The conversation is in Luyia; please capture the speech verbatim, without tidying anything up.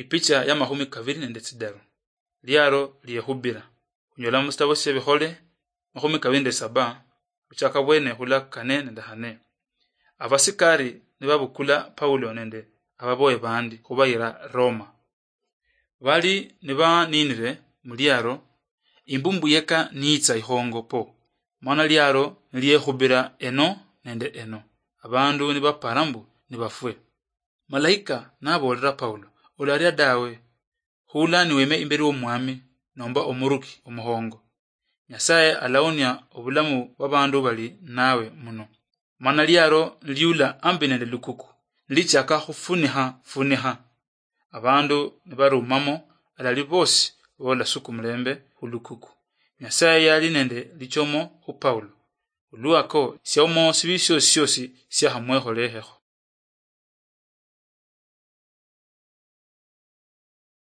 Ipicha ya makhumi kaviri nende tsidaru. Liaro liehubira. Khunyola musitabo siebikhole makhumi kaviri nende saba, khuchaka bwene khula kane nende hane. Abasikari nibabukula Paulo nende ababoye bandi khubayira Roma. Bali nibaninire muliaro, imbumbu yeka niitsa ihongo po, mana liaro niliekhubira eno nende eno, abandu nibapara mbu nibafwe. Malaika naboolera Paulo, "Olaria dawe, khula niweme imberi w'Omwami nomba omuruki omuhongo. Nyasaye alaonia obulamu bw'abandu bali nawe muno." Mana liaro niliula ambi nende lukuku, nilichaka khufunikha funikha. Abandu nibarumamo, alali bosi bola suku mulembe khulukuku. Nyasaye yali nende lichomo khu Paulo. Olwako siaomo sibi siosi siosi siakhamwekholehekho.